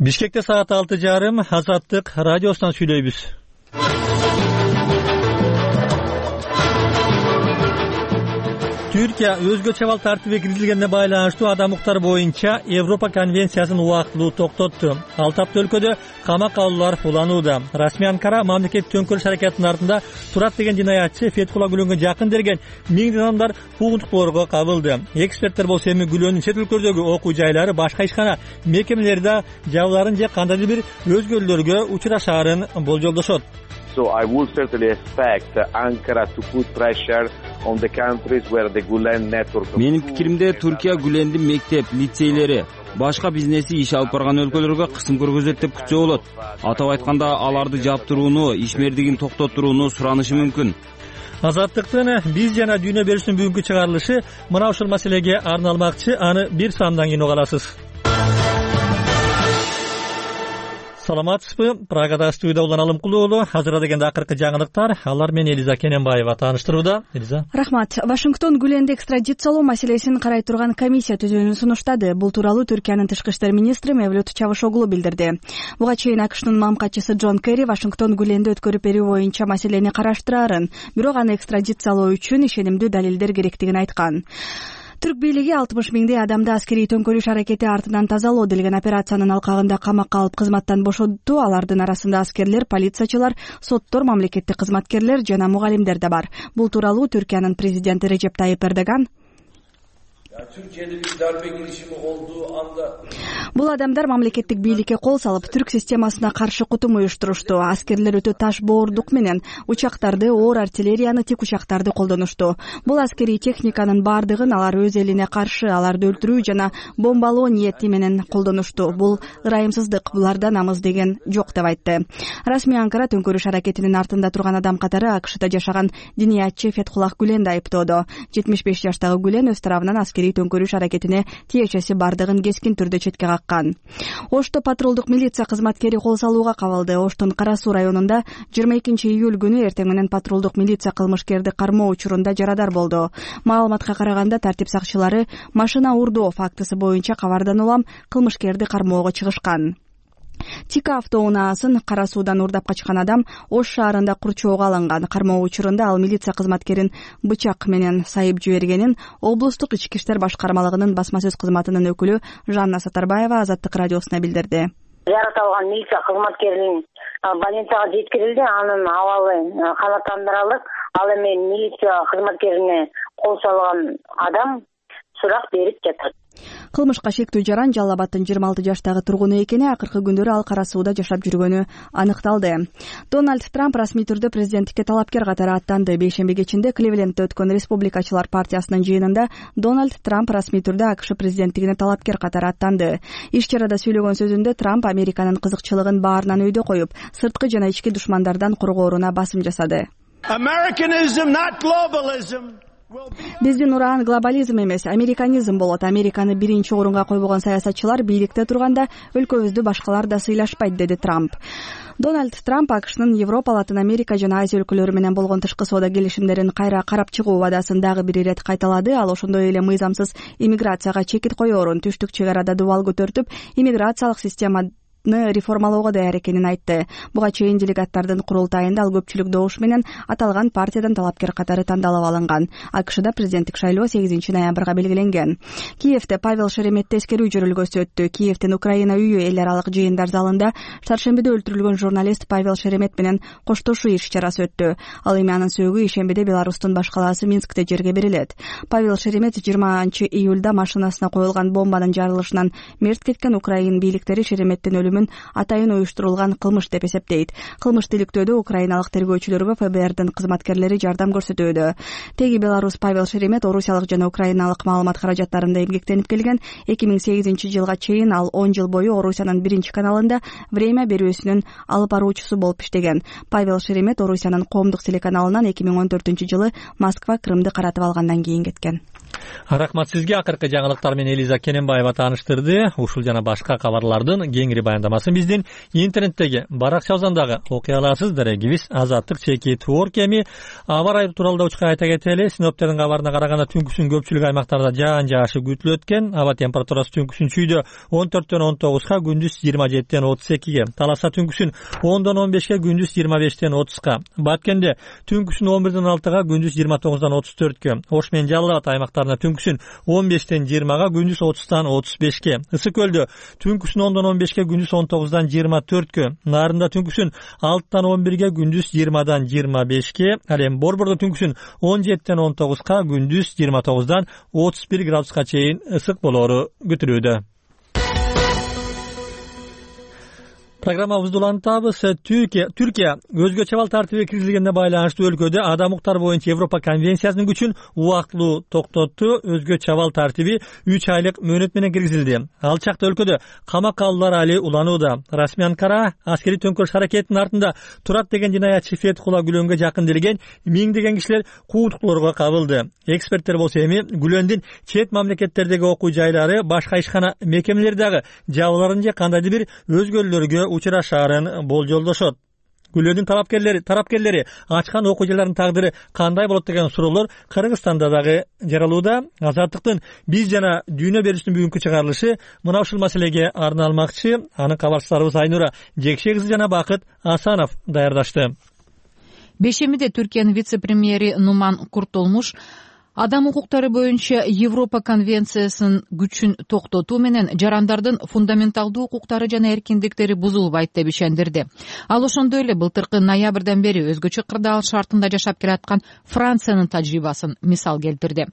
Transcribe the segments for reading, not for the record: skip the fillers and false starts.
Бишкекте саат 6:30 Азаттык радиосунан сүйлөйбүз. Түркия өзгөчө абал тартиби киргизилгенине байланыштуу адам укуктары боюнча Европа конвенциясын убактылуу токтотту. 6 апта өлкөдө камак алуулар уланууда. Расмий Анкара мамлекеттик төңкөрүш аракетинин артында турат деген жинаятчы Фетхулла Гүлөнгө жакын берген миңдеген адамдар куугунтуктоого кабылды. Эксперттер болсо эми Гүлөндүн чет өлкөлөрдөгү окуу жайлары, башка ишкана мекемелерде жабыларын же кандайдыр бир өзгөрүүлөргө учурашаарын болжолдошот. So I would certainly expect Ankara to put pressure on the countries where the Gulen network. Менин пикиримде Түркия Гүлендин мектеп, лицейлери, башка бизнеси иш алып барган өлкөлөргө кысым көргөзөт деп күтсө болот. Атап айтканда, аларды жаптырууну, ишмердигин токтотууну суранышы мүмкүн. Азаттыктын биз жана дүйнө берүүсүнүн бүгүнкү чыгарылышы мына ушул маселеге арналмакчы. Аны бир сандан кийин уга аласыз. Саламатсызбы? Прагада студияда Улан Алымкулуу уулу. Азыр дегенде акыркы жаңылыктар. Алар менен Элиза Кененбаева тааныштырууда. Элиза. Рахмат. Вашингтон Гүленди экстрадициялоо маселесин карай турган комиссия түзүүнү сунуштады. Бул тууралуу Түркиянын тышкы иштер министри Мевлют Чавушоглу билдирди. Буга чейин АКШнын мамкачысы Джон Керри Вашингтон Гүленди өткөрүп берүү боюнча маселени караштырарын, бирок аны экстрадициялоо үчүн ишенимдүү далилдер керектигин айткан. Түрк бийлиги 60 миңдей адамды аскерий төңкөрүш аракети артынан тазалоо делген операциянын алкагында камакка алып кызматтан бошотту. Алардын арасында аскерлер, полициячылар, соттор, мамлекеттик кызматкерлер жана мугалимдер да бар. Бул тууралуу Түркиянын президенти Режеп Тайип Эрдоган Бул адамдар мамлекеттик бийликке кол салып, түрк системасына каршы кутум уюштурушту. Аскерлер өтө таш боордук менен учактарды, оор артиллерияны, тик учактарды колдонушту. Бул аскерий техниканын бардыгын алар өз элине каршы, аларды өлтүрүү жана бомбалоо ниети менен колдонушту. Бул ырайымсыздык, буларда намыс деген жок деп айтты. Расмий Анкара төңкөрүш аракетинин артында турган адам катары АКШда жашаган диниятчы Фетхуллах Гүленди айыптоодо. 75 жаштагы Гүлен өз тарабынан аскерий төңкөрүш аракетине тиешеси бардыгын кескин түрдө четке каккан. Ошто патрулдук милиция кызматкери кол салууга кабылды. Оштун Кара Суу районунда 22 июль күнү эртең менен патрулдук милиция кылмышкерди кармоо учурунда жарадар болду. Маалыматка караганда тартип сакчылары машина урдоо фактысы боюнча кабардан улам кылмышкерди кармоого чыгышкан. Тика автоунаасын Кара Суудан урдап качкан адам Ош шаарында курчоого алынган. Кармоо учурунда ал милиция кызматкерин бычак менен сайып жибергенин облустук ички иштер башкармалыгынын басма сөз кызматынын өкүлү Жанна Сатарбаева Азаттык радиосуна билдирди. Жаратылган милиция кызматкеринин больницага жеткирилди. Анын абалы канааттандырылып, ал эми милиция кызматкерине кол салган адам сурак берип жатат. Кылмышка шектүү жаран Жалал Абадтын 26 жаштагы тургуну экени, акыркы күндөрү ал Кара Сууда жашап жүргөнү аныкталды. Дональд Трамп расмий түрдө президенттикке талапкер катары аттанды. Бейшемби кечинде Кливлендте өткөн Республикачылар партиясынын жыйынында Дональд Трамп расмий түрдө АКШ президенттигине талапкер катары аттанды. Иш чарада сөйлөгөн сөзүндө Трамп Американын кызыкчылыгын баарынан өйдө коюп, сырткы жана ички душмандардан коргооруна басым жасады. Биздин ураан глобализм эмес, американизм болот. Американы биринчи орунга койбогон саясатчылар бийликте турганда өлкөбүздү башкалар да сыйлашпайт, деди Трамп. Дональд Трамп АКШнын Европа, Латын Америка жана Азия өлкөлөрү менен болгон тышкы соода келишимдерин кайра карап чыгуу убадасын дагы бир ирет кайталады. Ал ошондой эле мыйзамсыз иммиграцияга чекит коерун, түштүк чек арада дубал көтөртүп, иммиграциялык система реформалоого даяр экенин айтты. Буга чейин делегаттардын курултайында ал көпчүлүк добуш менен аталган партиядан талапкер катары тандалып алынган. АКШда президенттик шайлоо 8 ноябрга белгиленген. Киевде Павел Шереметте эскерүү жөрөлгөсү өттү. Киевдин Украина үйү эл аралык жыйындар залында шаршембиде өлтүрүлгөн журналист Павел Шеремет менен коштошуу иш чарасы өттү. Ал эми анын сөөгү ишембиде Беларустун баш калаасы Минскте жерге берилет. Павел Шеремет 20 июлда машинасына коюлган бомбанын жарылышынан мерт кеткен. Украин бийликтери Шереметтин өлүмүн атайын уюштурулган кылмыш деп эсептейт. Кылмышты иликтөөдө украиналык тергөөчүлөргө ФБРдин кызматкерлери жардам көрсөтүүдө. Теги Беларус Павел Шеремет орусиялык жана украиналык маалымат каражаттарында эмгектенип келген. 2008 жылга чейин ал 10 жыл бою Орусиянын биринчи каналында время берүүсүнүн алып баруучусу болуп иштеген. Павел Шеремет Орусиянын коомдук телеканалынан 2014 жылы Москва Крымды каратып алгандан кийин кеткен. Рахмат сизге. Акыркы жаңылыктар менен Элиза Кененбаева тааныштырды. Ушул жана башка кабарлардын кеңири баяндап баяндамасын биздин интернеттеги баракчабыздан дагы окуй аласыз. Дарегибиз Азаттык чеки Твор кеми. Аба ырайы тууралуу учка айта кетели. Синоптиктердин кабарына караганда түнкүсүн көпчүлүк аймактарда жаан жаашы күтүлөт экен. Аба температурасы түнкүсүн чүйдө 14дөн 19га, күндүз 27ден 32ге. Таласа түнкүсүн 10дон 15ге, күндүз 25ден 30га. Баткенде түнкүсүн 11ден 6га, күндүз 29дан 34кө. Ош менен Жалал Абад аймактарында түнкүсүн 15ден 20га, күндүз 30дан 35ке. Ысык көлдө түнкүсүн 10дон 15ге, күндүз 19дан 24кө. Нарында түнкүсүн 6дан 11ге, күндүз 20дан 25ке. Ал эми Борбордо түнкүсүн 17ден 19га, күндүз 29дан 31 градуска чейин ысык болоору күтүлүүдө. Программабызды улантабыз. Түркия өзгөчө абал тартиби киргизилгенине байланыштуу өлкөдө адам укуктары боюнча Европа конвенциясынын күчүн убактылуу токтотту. Өзгөчө абал тартиби 3 айлык мөөнөт менен киргизилди. Ал чакта өлкөдө камакалуулар али уланууда. Расмий Анкара аскерий төңкөрүш аракетинин артында турат деген жинаятчы Фетхулла Гүлөнгө жакын миңдеген кишилер кууттуктоорго кабылды. Эксперттер болсо эми Гүлөндүн чет мамлекеттердеги окуу жайлары, башка ишкана мекемелери дагы жабыларын же кандайдыр бир өзгөрүүлөргө учурашаарын болжолдошот. Гүлөндүн тарапкерлери ачкан окуу жайларынын тагдыры кандай болот деген суроолор Кыргызстанда дагы жаралууда. Азаттыктын биз жана дүйнө берүүсүнүн бүгүнкү чыгарылышы мына ушул маселеге арналмакчы. Анын кабарчыларыбыз Айнура Жекше кызы жана Бакыт Асанов даярдашты. Бешемиде Түркиянын вице-премьери Нуман Куртулмуш адам укуктары боюнча Европа конвенциясынын күчүн токтотуу менен жарандардын фундаменталдуу укуктары жана эркиндиктери бузулбайт деп ишендирди. Ал ошондой эле былтыркы ноябрдан бери өзгөчө кырдаал шартында жашап келаткан Франциянын тажрыйбасын мисал келтирди.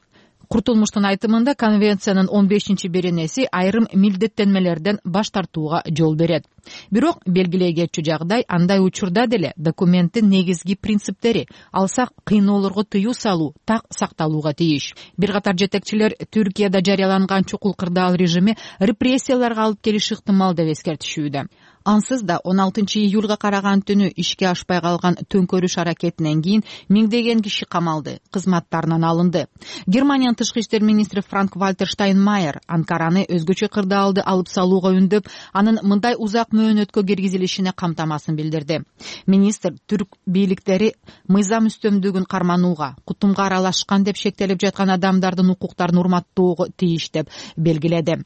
Куртулмуштун айтымында конвенциянын 15-беренеси айрым милдеттенмелерден баш тартууга жол берет. Бирок белгилей кетчү жагдай, андай учурда деле документтин негизги принциптери, алсак кыйноолорго тыюу салуу так сакталууга тийиш. Бир катар жетекчилер Түркияда жарыяланган чукул кырдаал режими репрессияларга алып келиши ыктымал деп эскертишүүдө. Ансыз да 16-июлга караган түнү ишке ашпай калган төңкөрүш аракетинен кийин миңдеген киши камалды, кызматтарынан алынды. Германиянын тышкы иштер министри Франк-Вальтер Штайнмайер Анкараны өзгөчө кырдаалды алып салууга үндөп, анын мындай узак мөөнөткө киргизилишине камтамасын билдирди. Министр түрк бийликтери мыйзам үстөмдүгүн карманууга, кутумга аралашкан деп шектелип жаткан адамдардын укуктарын урматтоого тийиш деп белгиледи.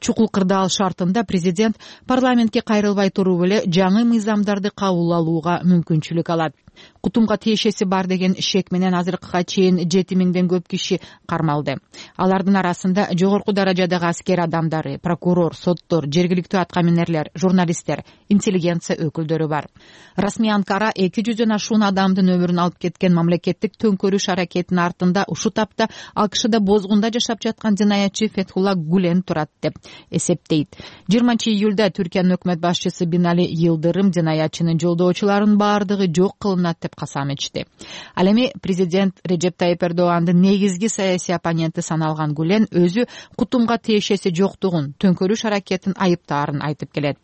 Чукул кырдаал шартында президент парламентке кайрылбай туруп эле жаңы мыйзамдарды кабыл алууга мүмкүнчүлүк алат. Кутумга тиешеси бар деген шек менен азыркыга чейин 7000ден көп киши кармалды. Алардын арасында жогорку даражадагы аскер адамдары, прокурор, соттор, жергиликтүү аткаминерлер, журналисттер, интеллигенция өкүлдөрү бар. Расмий Анкара 200дөн ашуун адамдын өмүрүн алып кеткен мамлекеттик төңкөрүш аракетинин артында ушу тапта АКШда бозгунда жашап жаткан жинаятчы Фетхулла Гүлен турат деп эсептейт. 20-июлда Түркиянын өкмөт башчысы Бинали Йылдырым жинаятчынын жолдоочуларынын баардыгы жок кылынат деп касам ичти. Ал эми президент Режеп Тайип Эрдогандын негизги саясий оппоненти саналган Гүлен өзү кутумга тиешеси жоктугун, төңкөрүш аракетин айыптаарын айтып келет.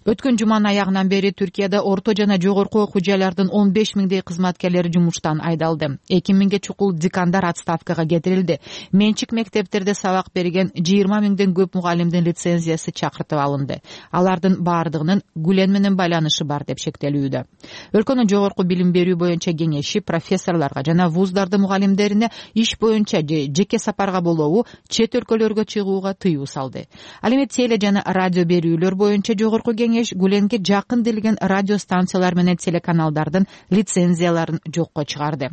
Өткөн жуманын аягынан бери Түркияда орто жана жогорку окуу жайлардын 15 миңдей кызматкерлери жумуштан айдалды. 2000ге чукул декандар отставкага кетирилди. Менчик мектептерде сабак берген 20 миңден көп мугалимдин лицензиясы чакыртып алынды. Алардын баардыгынын Гүлен менен байланышы бар деп шектелүүдө. Өлкөнүн жогорку билим берүү боюнча кеңеши профессорлорго жана вуздардын мугалимдерине иш боюнча же жеке сапарга болобу чет өлкөлөргө чыгууга тыюу салды. Ал эми теле жана радио берүүлөр боюнча жогорку кеңеш Гүленге жакын делген радио станциялар менен телеканалдардын лицензияларын жокко чыгарды.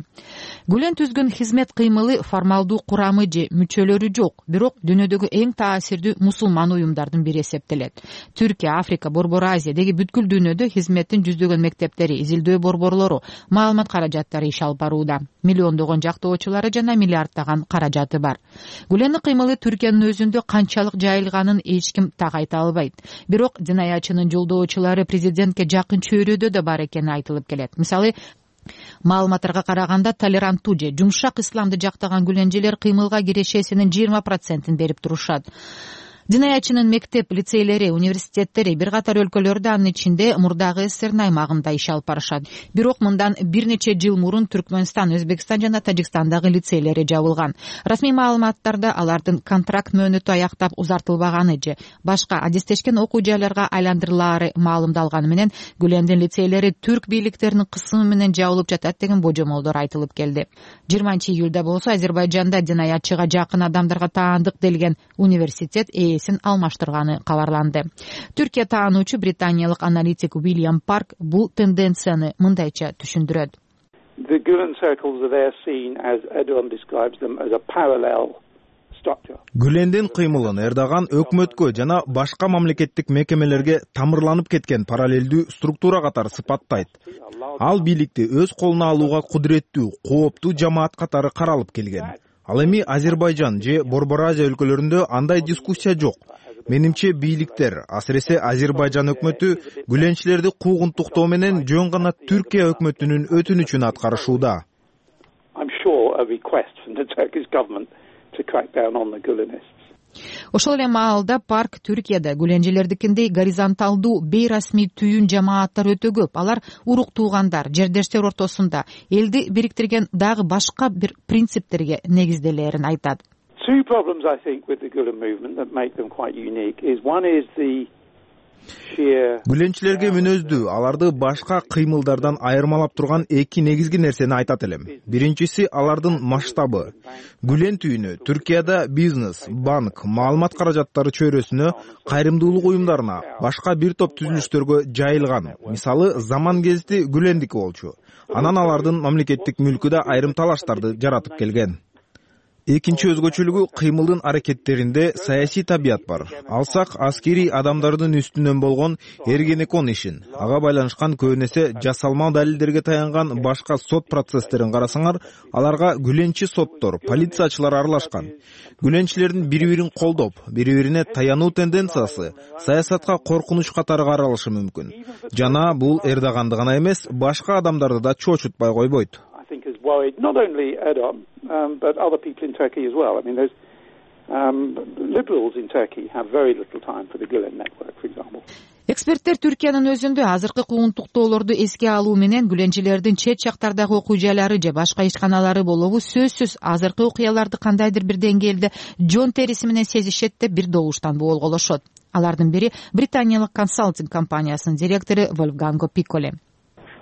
Гүлен түзгөн хизмет кыймылы формалдуу курамы же мүчөлөрү жок, бирок дүйнөдөгү эң таасирдүү мусулман уюмдардын бири эсептелет. Түркия, Африка, Борбор Азия деги бүткүл дүйнөдө хизметтин жүздөгөн мектептери, изилдөө борборлору, маалымат каражаттары иш алып барууда. Миллиондогон жактоочулары жана миллиарддаган каражаты бар. Гүлендин кыймылы Түркиянын өзүндө канчалык жайылганын эч ким так айта албайт. Бирок жинаятчынын жолдоочулары президентке жакын чөйрөдө да бар экени айтылып келет. Мисалы, маалыматтарга караганда толеранттуу же жумшак исламды жактаган гүленжелер кыймылга кирешесинин 20% берип турушат. Жынаятчынын мектеп, лицейлери, университеттери бир катар өлкөлөрдө, анын ичинде мурдагы СССРдин аймагында иш алып барышат. Бирок мындан бир нече жыл мурун Түркмөнстан, Өзбекстан жана Тажикстандагы лицейлери жабылган. Расмий маалыматтарда алардын контракт мөөнөтү аяктап узартылбаганы же башка адистешкен окуу жайларга айландырылаары маалымдалганы менен Гүлендин лицейлери түрк бийликтеринин кысымы менен жабылып жатат деген божомолдор айтылып келди. 20-июлда болсо Азербайжанда жынаятчыга жакын адамдарга таандык делген университет ээсин алмаштырганы кабарланды. Түркия таануучу британиялык аналитик Уильям Парк бул тенденцияны мындайча түшүндүрөт. The Gulen circles are there seen, as Erdogan describes them, as a parallel structure. Гүлендин кыймылын Эрдоган өкмөткө жана башка мамлекеттик мекемелерге тамырланып кеткен параллелдүү структура катары сыпаттайт. Ал бийликти өз колуна алууга кудуреттүү, кооптуу жамаат катары каралып келген. Ал эми Азербайжан же Борбор Азия өлкөлөрүндө андай дискуссия жок. Менимче бийликтер, асыресе Азербайжан өкмөтү гүленчилерди куугунтуктоо менен жөн гана Түркия өкмөтүнүн өтүнүчүн аткарышууда. I'm sure a request from the Turkish government to crack down on the Gulenists. Ошол эле маалда Парк Түркияда гүленчилердикиндей горизонталдуу бейрасмий түйүн жамааттар өтө көп. Алар урук туугандар, жердештер ортосунда элди бириктирген дагы башка бир принциптерге негизделерин айтат. Two problems, I think, with the Gulen movement that make them quite unique is one is the sheer. Гүленчилерге мүнөздүү, аларды башка кыймылдардан айырмалап турган эки негизги нерсени айтат элем. Биринчиси алардын масштабы. Гүлен түйүнү Түркияда бизнес, банк, маалымат каражаттары чөйрөсүнө, кайрымдуулук уюмдарына, башка бир топ түзүлүштөргө жайылган. Мисалы, Заман гезити Гүлендики болчу. Анан алардын мамлекеттик мүлкүдө айрым талаштарды жаратып келген. Экинчи өзгөчөлүгү кыймылдын аракеттеринде саясий табият бар. Алсак аскери адамдардын үстүнөн болгон Эргенекон ишин, ага байланышкан көбүнесе жасалма далилдерге таянган башка сот процесстерин карасаңар, аларга гүленчи соттор, полициячылар аралашкан. Гүленчилердин бири-бирин колдоп, бири-бирине таянуу тенденциясы саясатка коркунуч катары каралышы мүмкүн. Жана бул Эрдоганды гана эмес, башка адамдарды да чочутпай койбойт. Worried not only Erdogan but other people in Turkey as well. I mean, there's liberals in Turkey have very little time for the Gulen network, for example. Эксперттер Түркиянын өзүндө азыркы куугунтуктоолорду эске алуу менен гүленчилердин чет жактардагы окуу жайлары же башка ишканалары болобу сөзсүз азыркы окуяларды кандайдыр бир деңгээлде жон териси менен сезишет деп бир добуштан болголошот. Алардын бири британиялык консалтинг компаниясынын директору Вольфганго Пикколе.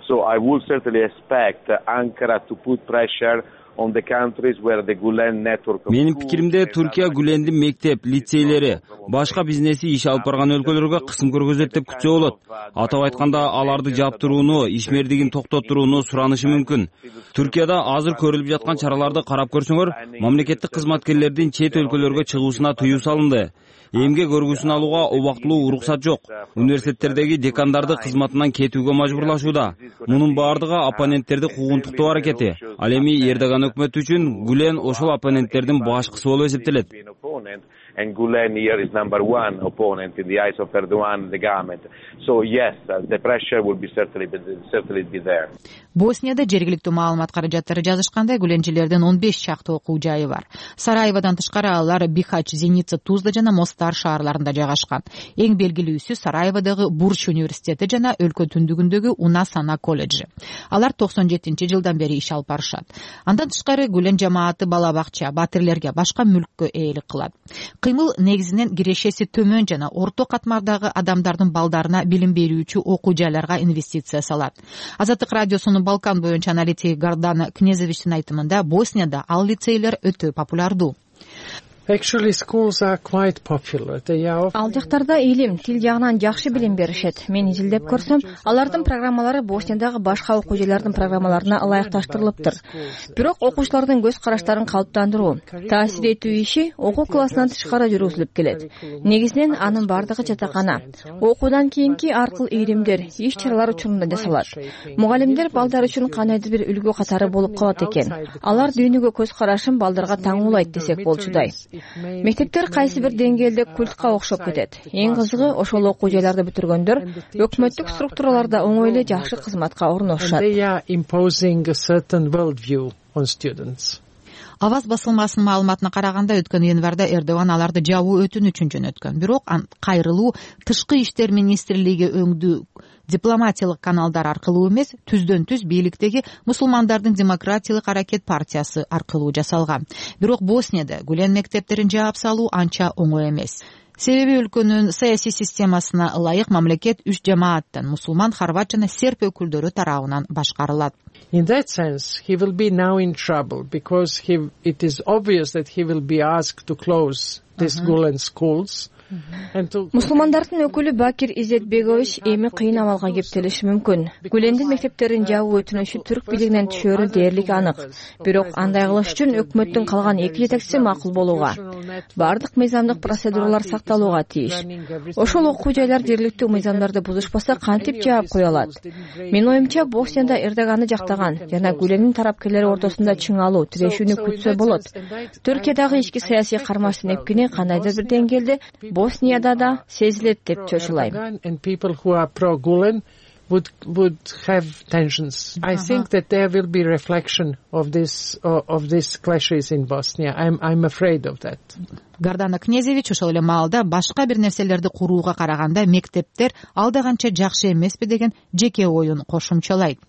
So I would certainly expect Ankara to put pressure on the countries where the Gulen network. Менин пикиримде Түркия Гүлендин мектеп, лицейлери, башка бизнеси иш алып барган өлкөлөргө кысым көргөзөт деп күтсө болот. Атап айтканда, аларды жаптырууну, ишмердигин токтотууну суранышы мүмкүн. Түркияда азыр көрүлүп жаткан чараларды карап көрсөңөр, мамлекеттик кызматкерлердин чет өлкөлөргө чыгуусуна тыюу салынды. Эмгек өргүсүн алууга убактылуу уруксат жок. Университеттердеги декандарды кызматынан кетүүгө мажбурлашууда. Мунун баардыгы оппоненттерди куугунтуктоо аракети. Ал эми Эрдоган өкмөтү үчүн Гүлен ошол оппоненттердин башкысы болуп эсептелет. And Gulen here is number one opponent in the eyes of Erdogan and the government. So yes, the pressure will be certainly be there. Боснияда жергиликтүү маалымат каражаттары жазышкандай гүленчилердин 15 чакты окуу жайы бар. Сараеводон тышкары алар Бихач, Зеница, Тузла жана Мостар шаарларында жайгашкан. Эң белгилүүсү Сараеводогу Бурч университети жана өлкө түндүгүндөгү Унасана колледжи. Алар 97-жылдан бери иш алып барышат. Андан тышкары Гүлен жамааты бала бакча, батирлерге, башка мүлккө ээлик кылат. Кыймыл негизинен кирешеси төмөн жана орто катмардагы адамдардын балдарына билим берүүчү окуу жайларга инвестиция салат. Азаттык радиосунун Балкан боюнча аналитиги Гардана Кнезовичтин айтымында Боснияда ал лицейлер өтө популярдуу. Actually, schools are quite popular. Ал жактарда илим, тил жагынан жакшы билим беришет. Мен изилдеп көрсөм, алардын программалары Босниядагы башка окуу жайлардын программаларына ылайыкташтырылыптыр. Бирок окуучулардын көз караштарын калыптандыруу, таасир этүү иши окуу классынан тышкары жүргүзүлүп келет. Негизинен анын бардыгы жатакана. Окуудан кийинки аркыл ийримдер, иш-чаралар учурунда жасалат. Мугалимдер балдар үчүн кандайдыр бир үлгү катары болуп калат экен. Алар дүйнөгө көз карашын балдарга таңуулайт десек болчудай. Мектептер кайсы бир деңгээлде культка окшоп кетет. Эң кызыгы ошол окуу жайларды бүтүргөндөр өкмөттүк структураларда оңой эле жакшы кызматка орношушат. Аваз басылмасынын маалыматына караганда өткөн январда Эрдоган аларды жабуу өтүнүчүн жөнөткөн. Бирок кайрылуу тышкы иштер министрлиги өңдүү дипломатиялык каналдар аркылуу эмес, түздөн-түз бийликтеги мусулмандардын демократиялык аракет партиясы аркылуу жасалган. Бирок Боснияда Гүлен мектептерин жаап салуу анча оңой эмес. Себеби өлкөнүн саясий системасына ылайык мамлекет 3 жамааттан мусулман, хорват жана серб өкүлдөрү тарабынан башкарылат. In that sense, he will be now in trouble because it is obvious that he will be asked to close these Gulen schools. Мусулмандардын өкүлү Бакир Изетбегович эми кыйын абалга кептелиши мүмкүн. Гүлендин мектептерин жабуу өтүнүшү түрк бийлигинен түшөрү дээрлик анык. Бирок андай кылыш үчүн өкмөттүн калган 2 жетекчиси макул болууга, бардык мыйзамдык процедуралар сакталууга тийиш. Ошол окуу жайлар жергиликтүү мыйзамдарды бузушпаса кантип жаап кое алат? Менин оюмча, Боснияда Эрдоганды жактаган жана Гүлендин тарапкерлери ортосунда чыңалуу тирешүүнү күтсө болот. Түркиядагы ички саясий кармаштын эпкини кандайдыр бир деңгээлде Боснияда да сезилет деп чочулайм. And people who are pro-Gulen would have tensions. I think that there will be reflection of these clashes in Bosnia. I'm afraid of that. Гардана Князевич ошол эле маалда башка бир нерселерди курууга караганда мектептер алда канча жакшы эмеспи деген жеке оюн кошумчалайт.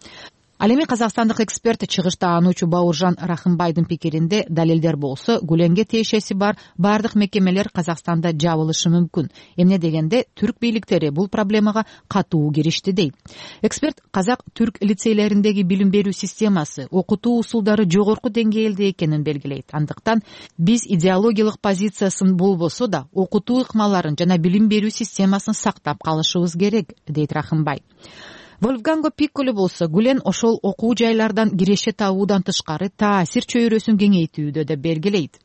Ал эми казакстандык эксперт чыгышта ануучу Бауыржан Рахымбайдын пикиринде далилдер болсо, Гүленге тиешеси бар бардык мекемелер Казакстанда жабылышы мүмкүн. Эмне дегенде түрк бийликтери бул проблемага катуу киришти дейт. Эксперт казак-түрк лицейлериндеги билим берүү системасы, окутуу усулдары жогорку деңгээлде экенин белгилейт. Андыктан биз идеологиялык позициясын болбосо да окутуу ыкмаларын жана билим берүү системасын сактап калышыбыз керек, дейт Рахымбай. Вольфганго Пикколо болсо Гүлен ошол окуу жайлардан киреше табуудан тышкары таасир чөйрөсүн кеңейтүүдө деп белгилейт.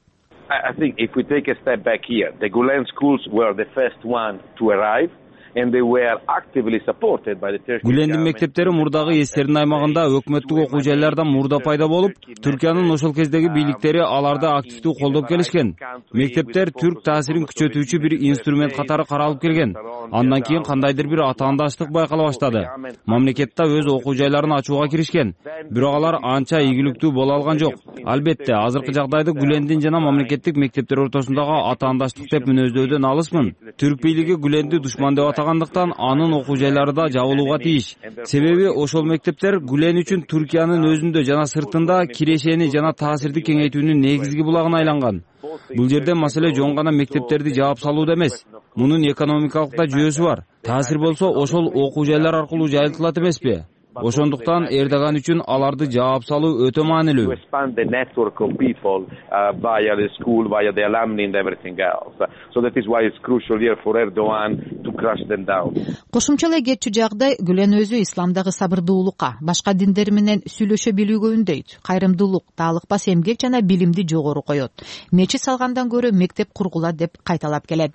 I think if we take a step back here, the Gulen schools were the first one to arrive. And they were actively supported by the Turkish government. Гүлендин мектептери мурдагы эстердин аймагында өкмөттүк окуу жайлардан мурда пайда болуп, Түркиянын ошол кездеги бийликтери аларды активдүү колдоп келишкен. Мектептер түрк таасирин күчөтүүчү бир инструмент катары каралып келген. Андан кийин кандайдыр бир атаандаштык байкала баштады. Мамлекетте өз окуу жайларын ачууга киришкен. Бирок алар анча ийгиликтүү боло алган жок. Албетте, азыркы жагдайда Гүлендин жана мамлекеттик мектептер ортосундагы атаандаштык деп мүнөздөдөн алысмын. Түрк бийлиги Гүленди душман деп атагандыктан анын окуу жайлары да жабылууга тийиш. Себеби ошол мектептер Гүлен үчүн Түркиянын өзүндө жана сыртында кирешени жана таасирди кеңейтүүнүн негизги булагына айланган. Бул жерде маселе жон гана мектептерди жаап салууда эмес. Мунун экономикалык да жүйөсү бар. Таасир болсо ошол окуу жайлар аркылуу жайылтылат эмеспи? Ошондуктан Эрдоган үчүн аларды жаап салуу өтө маанилүү. Кошумчалай кетчү жагдай Гүлен өзү исламдагы сабырдуулукка, башка диндер менен сүйлөшө билүүгө үндөйт. Кайрымдуулук, таалыкпас эмгек жана билимди жогору коет. Мечит салгандан көрө мектеп кургула деп кайталап келет.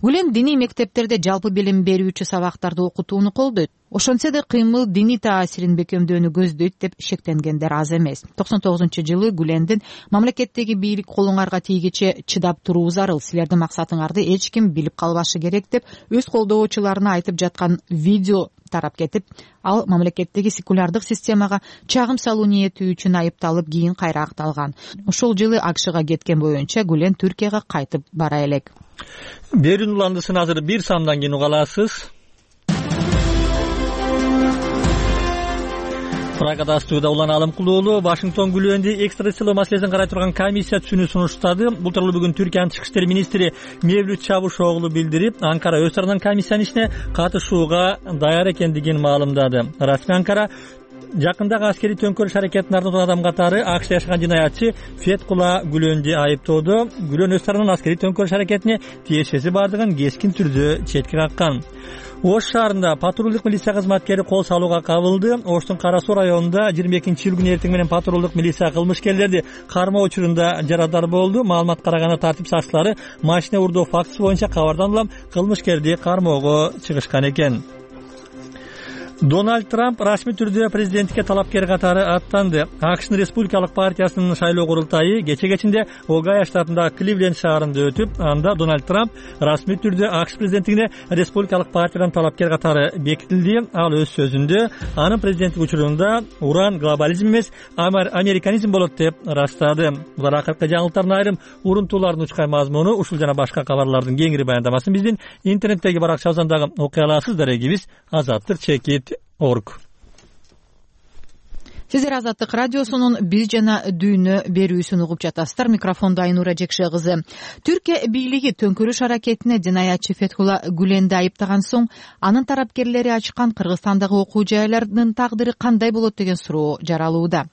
Гүлен диний мектептерде жалпы билим берүүчү сабактарды окутууну колдойт. Ошончо да кыймыл диний таасирин бекемдөөнү көздөйт деп шектенгендер аз эмес. 99-жылы Гүлендин мамлекеттеги бийлик колуңарга тийгиче чыдап туруу зарыл, силердин максатыңарды эч ким билип калбашы керек деп өз колдоочуларына айтып жаткан видео тарап кетип, ал мамлекеттеги секулярдык системага чагым салуу ниети үчүн айыпталып, кийин кайра акталган. Ошол жылы АКШга кеткен боюнча Гүлен Түркияга кайтып бара элек. Берүүнүн уландысын азыр бир сандан кийин уга аласыз. Прагада студияда Улан Алымкулуулу Вашингтон Гүленди экстрадициялоо маселесин карай турган комиссия түшүнүү сунуштады. Бул тууралуу бүгүн Түркиянын тышкы иштер министри Мевлют Чавушоглу билдирип, Анкара өз тарабынан комиссиянын ишине катышууга даяр экендигин маалымдады. Расмий Анкара жакындагы аскерий төңкөрүш аракетин ардаган адам катары АКШда жашаган жинаятчы Феткула Гүленди айыптоодо. Гүлен өз тарабынан аскерий төңкөрүш аракетине тиешеси бардыгын кескин түрдө четке каккан. Ош шаарында патрулдук милиция кызматкери кол салууга кабылды. Оштун Кара Суу районунда 22-июль күнү эртең менен патрулдук милиция кылмышкерлерди кармоо учурунда жарадар болду. Маалымат караганда тартип сакчылары машина урдоо фактысы боюнча кабардан улам кылмышкерди кармоого чыгышкан экен. Дональд Трамп расмий түрдө президенттикке талапкер катары аттанды. АКШнын Республикалык партиясынын шайлоо курултайы кече Огайо штатындагы Кливленд шаарында өтүп, анда Дональд Трамп расмий түрдө АКШ президенттигине Республикалык партиядан талапкер катары бекитилди. Ал өз сөзүндө анын президенттик учурунда уран глобализм эмес, американизм болот деп ырастады. Булар акыркы жаңылыктардын айрым урунтуулардын учкай мазмуну. Ушул жана башка кабарлардын кеңири баяндамасын биздин интернеттеги баракчабыздагы окуя аласыздар. Эгибиз azatlyk.org. Сиздер Азаттык радиосунун биз жана дүйнө берүүсүн угуп жатасыздар. Микрофондо Айнура Жекше кызы. Түркия бийлиги төңкөрүш аракетине динаятчы Фетхулла Гүленди айыптаган соң, анын тарапкерлери ачкан Кыргызстандагы окуу жайлардын тагдыры кандай болот деген суроо жаралууда.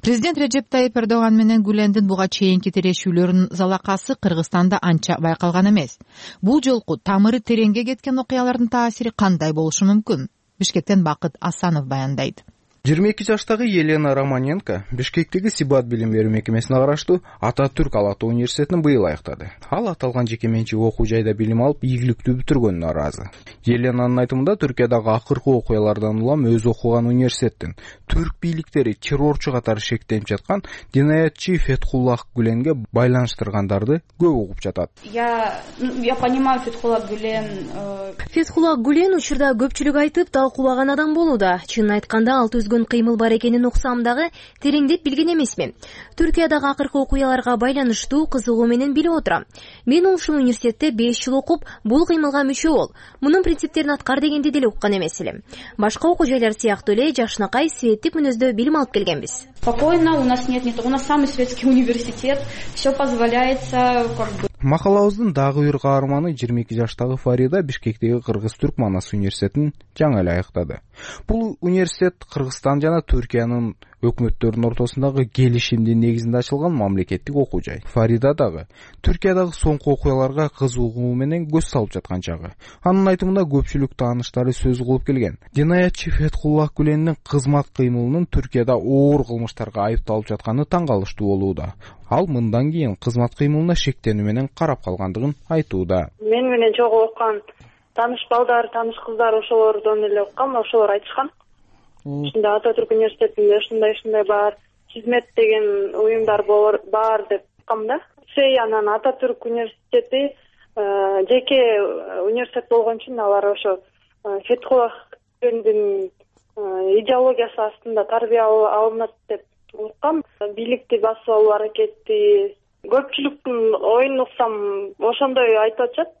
Президент Режеп Тайип Эрдоган менен Гүлендин буга чейинки тирешүүлөрүнүн залакасы Кыргызстанда анча байкалган эмес. Бул жолку тамыры тереңге кеткен окуялардын таасири кандай болушу мүмкүн? Бишкектен Бакыт Асанов баяндайт. 22 жаштагы Елена Романенко Бишкектеги Сибат билим берүү мекемесине караштуу Ататүрк Ала Тоо университетин быйыл аяктады. Ал аталган жеке менчик окуу жайда билим алып, ийгиликтүү бүтүргөнүнө ыраазы. Еленанын айтымында Түркиядагы акыркы окуялардан улам өз окуган университеттин түрк бийликтери террорчу катары шектенип жаткан динаятчы Фетхуллах Гүленге байланыштыргандарды көп угуп жатат. Я понимаю Фетхуллах Гүлен. Фетхуллах Гүлен учурда көпчүлүк айтып талкуулаган адам болууда. Чынын айтканда ал кыймыл бар экенин уксам дагы тереңдеп билген эмесмин. Түркиядагы акыркы окуяларга байланыштуу кызыгуу менен билип отурам. Мен ушул университетте 5 жыл окуп, бул кыймылга мүчө бол. Мунун принциптерин аткар дегенди деле уккан эмес элем. Башка окуу жайлар сыяктуу эле жакшынакай светтик мүнөздө билим алып келгенбиз. Спокойно, у нас нет, у нас самый светский университет, все позволяется, Макалабыздын дагы бир каарманы 22 жаштагы Фарида Бишкектеги Кыргыз-Түрк Манас университетин жаңы эле аяктады. Бул университет Кыргызстан жана Түркиянын өкмөттөрүнүн ортосундагы келишимдин негизинде ачылган мамлекеттик окуу жай. Фарида дагы Түркиядагы соңку окуяларга кызыгуу менен көз салып жаткан чагы. Анын айтымында көпчүлүк тааныштары сөз кылып келген. Динаятчы Фетхуллах Гүлендин кызмат кыймылынын Түркияда оор кылмыштарга айыпталып жатканы таң калыштуу болууда. Ал мындан кийин кызмат кыймылына шектенүү менен карап калгандыгын айтууда. Мен менен чогуу окуган тааныш балдар, тааныш кыздар ошолордон эле уккам, ошолор айтышкан. Ушундай Ататүрк университетинде ушундай бар, Хизмет деген уюмдар бар деп уккам да. Анан Ататүрк университети жеке университет болгон үчүн алар ошо Фетхуллах Гүлендин идеологиясы астында тарбия алынат деп уккам. Бийликти басып алуу аракети көпчүлүктүн оюн уксам ошондой айтып атышат.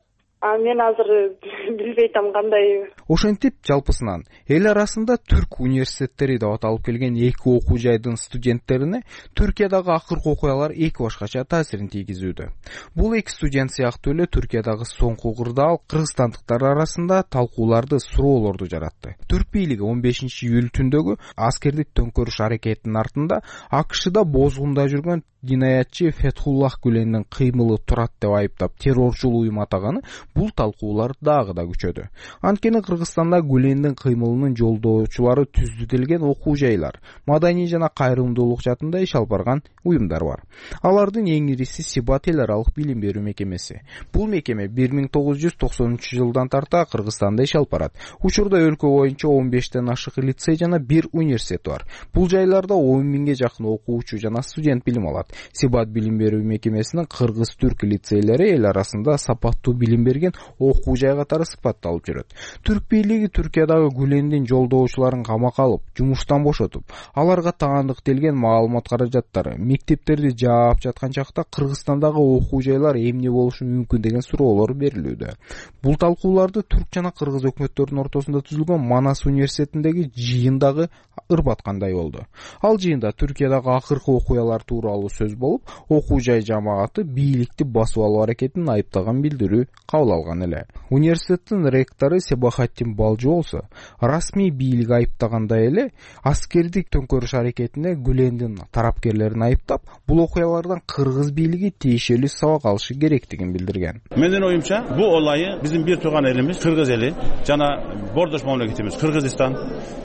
Мен азыр билбей атам кандай. Ошентип жалпысынан эл арасында түрк университеттери деп аталып келген эки окуу жайдын студенттерине Түркиядагы акыркы окуялар эки башкача таасирин тийгизүүдө. Бул эки студент сыяктуу эле Түркиядагы соңку кырдаал кыргызстандыктар арасында талкууларды, суроолорду жаратты. Түрк бийлиги 15-июль түндөгү аскердик төңкөрүш аракетинин артында АКШда бозгунда жүргөн динаятчы Фетхуллах Гүлендин кыймылы турат деп айыптап террорчул уюм атаганы бул талкуулар дагы да күчөдү. Анткени Кыргызстанда Гүлендин кыймылынын жолдоочулары түзүтүлгөн окуу жайлар, маданий жана кайрымдуулук жаатында иш алып барган уюмдар бар. Алардын эң ириси Сибат эл аралык билим берүү мекемеси. Бул мекеме 1993-жылдан тарта Кыргызстанда иш алып барат. Учурда өлкө боюнча 15тен ашык лицей жана 1 университет бар. Бул жайларда 10 миңге жакын окуучу жана студент билим алат. Сибат билим берүү мекемесинин кыргыз-түрк лицейлери эл арасында сапаттуу билим берген окуу жай катары сыпатталып жүрөт. Түрк бийлиги Түркиядагы Гүлендин жолдоочуларын камакка алып, жумуштан бошотуп, аларга таандыктелген маалымат каражаттары, мектептерди жаап жаткан чакта Кыргызстандагы окуу жайлар эмне болушу мүмкүн деген суроолор берилүүдө. Бул талкууларды түрк жана кыргыз өкмөттөрүнүн ортосунда түзүлгөн Манас университетиндеги жыйындагы ырбаткандай болду. Ал жыйында Түркиядагы акыркы окуялар тууралуу сөз болуп, окуу жай жамааты бийликти басып алуу аракетин айыптаган билдирүү кабыл алган эле. Университеттин ректору Себахаттин Балжы болсо, расмий бийлик айыптагандай эле аскердик төңкөрүш аракетине Гүлендин тарапкерлерин айыптап, бул окуялардан кыргыз бийлиги тиешелүү сабак алышы керектигин билдирген. Менин оюмча, бул олайы биздин бир тууган элimiz кыргыз эли жана бордош мамлекетибиз Кыргызстан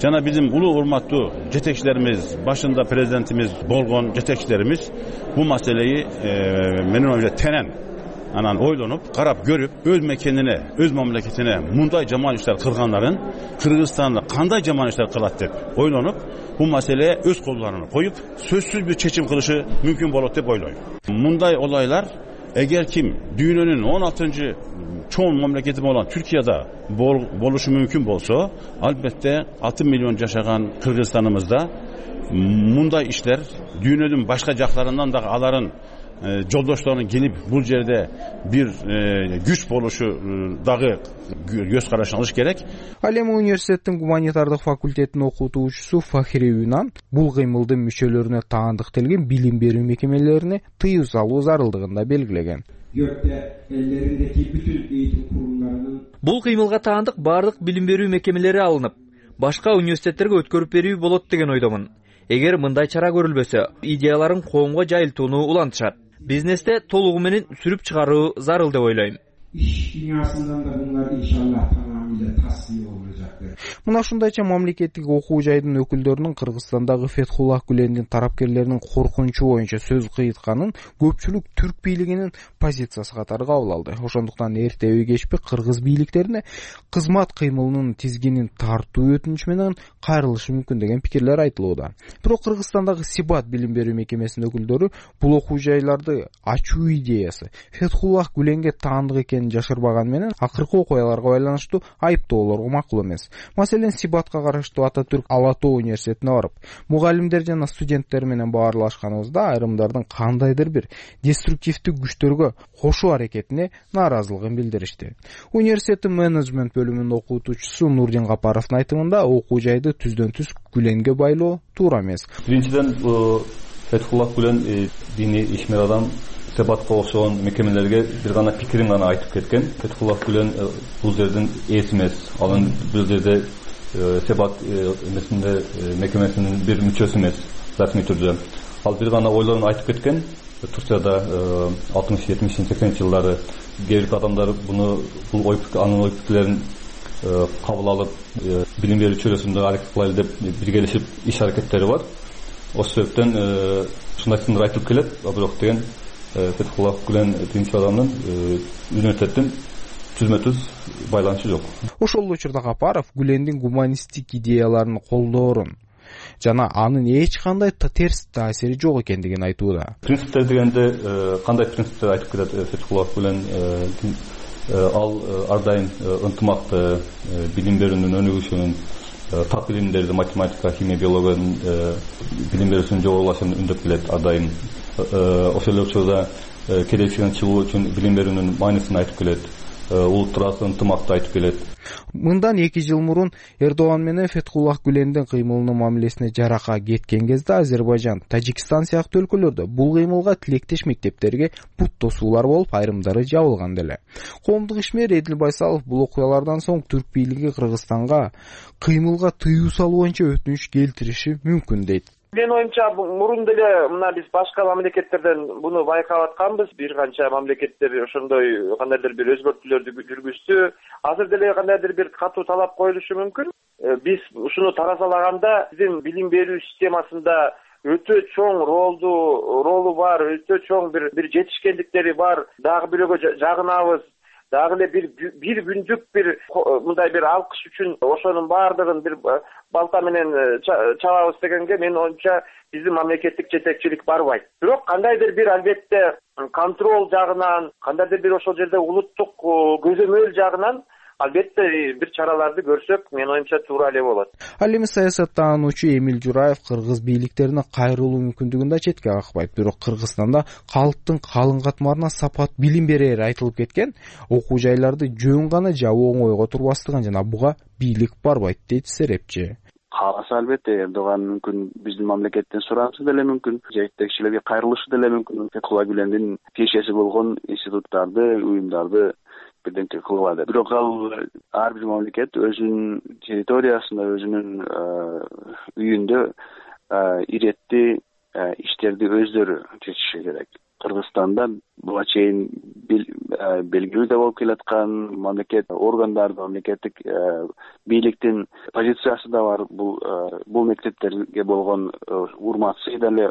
жана биздин улуу урматтуу жетекчилерimiz, башында президентimiz болгон жетекчилерimiz бул маселеyi менин оюмча тенен анан ойлонуп, карап көрүп, өз мекенине, өз мамлекетине мындай жаман иштер кылгандарын Кыргызстанда кандай жаман иштер кылат деп ойлонуп, бул маселе өз колдоруна коюп, сөзсүз бир чечим кылышы мүмкүн болот деп ойлойм. Мындай олайлар эгер ким дүйнөнүн 16-чы чоң мамлекети болгон Түркияда болушу мүмкүн болсо, албетте 6 миллион жашаган Кыргызстаныбызда мындай иштер дүйнөнүн башка жактарынан дагы аларын жолдошторунун келип бул жерде бир күч болушу дагы көз карашын алыш керек. Ал эми университеттин гуманитардык факультетинин окутуучусу Фахри Юнан бул кыймылдын мүчөлөрүнө таандыкталган билим берүү мекемелерине тыюу салуу зарылдыгын да белгилеген. Бул кыймылга таандык бардык билим берүү мекемелери алынып, башка университеттерге өткөрүп берүү болот деген ойдомун. Эгер мындай чара көрүлбөсө, идеяларын коомго жайылтууну улантышат. Бизнесте толугу менен сүрүп чыгаруу зарыл деп ойлойм. Иш дүйнөсүнөн да булар иншаллах тамамıyla tasfiye olacaktır. Мына ушундайча мамлекеттик окуу жайдын өкүлдөрүнүн Кыргызстандагы Фетхуллах Гүлендин тарапкерлеринин коркунучу боюнча сөз кыйытканын көпчүлүк түрк бийлигинин позициясы катары кабыл алды. Ошондуктан эртеби кечпи кыргыз бийликтерине кызмат кыймылынын тизгинин тартуу өтүнүчү менен кайрылышы мүмкүн деген пикирлер айтылууда. Бирок Кыргызстандагы Сибат билим берүү мекемесинин өкүлдөрү бул окуу жайларды ачуу идеясы Фетхуллах Гүленге таандык экенин жашырбаган менен акыркы окуяларга байланыштуу айыптоолорго макул эмес. Маселен, Сибатка караштуу Ататүрк Ала Тоо университетине барып, мугалимдер жана студенттер менен баарлашканыбызда айрымдардын кандайдыр бир деструктивдүү күчтөргө кошуу аракетине нааразылыгын билдиришти. Университеттин менеджмент бөлүмүнүн окутуучусу Нурдин Капаровдун айтымында окуу жайды түздөн түз Гүленге байлоо туура эмес. Биринчиден, Фетхуллах Гүлен диний ишмер адам, Себатка окшогон мекемелерге бир гана пикирин гана айтып кеткен. Фетхуллах Гүлен бул жердин ээси эмес. Анын бул жерде Себат эмесинде мекемесинин бир мүчөсү эмес, расмий түрдө. Ал бир гана ойлорун айтып кеткен. Турцияда 60-70-80 жылдары кээ бир адамдар бул анын ой пикирлерин кабыл алып, билим берүү чөйрөсүндө аракет кылайлы деп биргелешип иш аракеттери бар. Ошол себептен ушундай сындар айтылып келет. Бирок деген Фетхуллах Гүлен динчи адамдын университеттин түзмө-түз байланышы жок. Ошол учурда Капаров Гүлендин гуманисттик идеяларын колдоорун жана анын эч кандай терс таасири жок экендигин айтууда. Принциптер дегенде кандай принциптер айтып кетет Фетхуллах Гүлен? Ал ар дайым ынтымакты, билим берүүнүн өнүгүшүнүн, так билимдерди, математика, химия, биологиянын билим берүүсүнүн жогорулашын үндөп келет ар дайым. Ошол эле учурда келечегин чыгуу үчүн билим берүүнүн маанисин айтып келет. Улуттар ынтымакты айтып келет. Мындан 2 жыл мурун Эрдоган менен Фетхуллах Гүлендин кыймылынын мамилесине жарака кеткен кезде Азербайжан, Тажикстан сыяктуу өлкөлөрдө бул кыймылга тилектеш мектептерге бут тосуулар болуп, айрымдары жабылган деле. Коомдук ишмер Эдил Байсалов бул окуялардан соң түрк бийлиги Кыргызстанга кыймылга тыюу салуу боюнча өтүнүч келтириши мүмкүн дейт. Мен оюмча мурун деле мына биз башка мамлекеттерден буну байкап атканбыз. Бир канча мамлекеттер ошондой кандайдыр бир өзгөртүүлөрдү жүргүздү. Азыр деле кандайдыр бир катуу талап коюлушу мүмкүн. Биз ушуну таразалаганда биздин билим берүү системасында өтө чоң ролу бар, өтө чоң бир жетишкендиктери бар. Дагы бирөөгө жагынабыз. Дагы эле бир күндүк мындай бир алкыш үчүн ошонун баардыгын бир балта менен чабабыз дегенге мен оюмча биздин мамлекеттик жетекчилик барбайт. Бирок кандайдыр бир албетте контроль жагынан, кандайдыр бир ошол жерде улуттук көзөмөл жагынан албетте бир чараларды көрсөк, мен оюмча туура эле болот. Ал эми саясаттануучу Эмил Жураев кыргыз бийликтерине кайрылуу мүмкүндүгүн да четке какпайт. Бирок Кыргызстанда калктын калың катмарына сапат билим берери айтылып кеткен, окуу жайларды жөн гана жабуу оңойго турбастыгын жана буга бийлик барбайт дейт серепчи. Кааласа албетте Эрдоган мүмкүн биздин мамлекеттен сурашы деле мүмкүн, жетекчилерге кайрылышы деле мүмкүн. Фетхуллах Гүлендин тиешеси болгон институттарды, уюмдарды бирденке кылбады. Бирок ал ар бир мамлекет өзүнүн территориясында, өзүнүн үйүндө иретти иштерди өздөрү чечиши керек. Кыргызстанда буга чейин белгилүү да болуп келаткан мамлекет органдарды, мамлекеттик бийликтин позициясы да бар. Бул мектептерге болгон урматсыз деле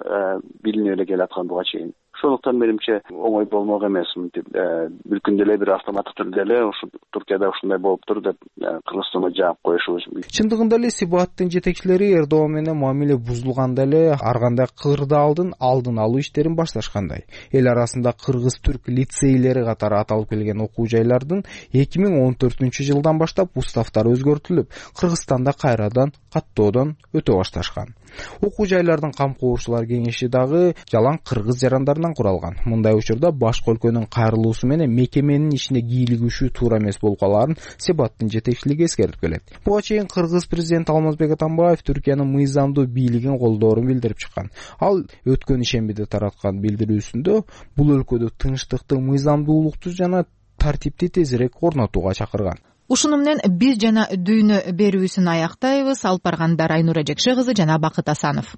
билинип эле келаткан буга чейин. Ошондуктан менимче оңой болмок эмес. Мынтип бүткүн деле бир автоматтык түрдө эле ушу Туркияда ушундай болуптур деп Кыргызстанга жаап коюшубуз. Чындыгында эле Сибаттын жетекчилери Эрдоган менен мамиле бузулганда эле ар кандай кырдаалдын алдын алуу иштерин башташкандай. Эл арасында кыргыз-түрк лицейлери катары аталып келген окуу жайлардын 2014-жылдан баштап уставтары өзгөртүлүп, Кыргызстанда кайрадан каттоодон өтө башташкан. Окуу жайлардын камкорушуулар кеңеши дагы жалаң кыргыз жарандарынан куралган. Мындай учурда башка өлкөнүн кайрылуусу менен мекеменин ишине кийлигишүү туура эмес болуп калаарын Сибаттын жетекчилиги эскертип келет. Буга чейин кыргыз президенти Алмазбек Атамбаев Түркиянын мыйзамдуу бийлигин колдоорун билдирип чыккан. Ал өткөн ишембиде тараткан билдирүүсүндө бул өлкөдө тынчтыкты, мыйзамдуулукту жана тартипти тезирээк орнотууга чакырган. Ушуну менен биз жана дүйнө берүүсүн аяктайбыз. Алып баргандар Айнура Жекше кызы жана Бакыт Асанов.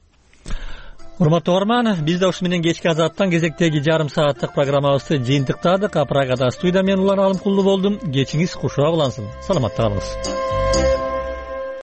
Урматтуу угарман, биз да ушу менен кечки азаттан кезектеги жарым сааттык программабызды жыйынтыктадык. Прагада студия мен Улан Алымкулду болдум. Кечиңиз кушуа улансын. Саламатта калыңыз.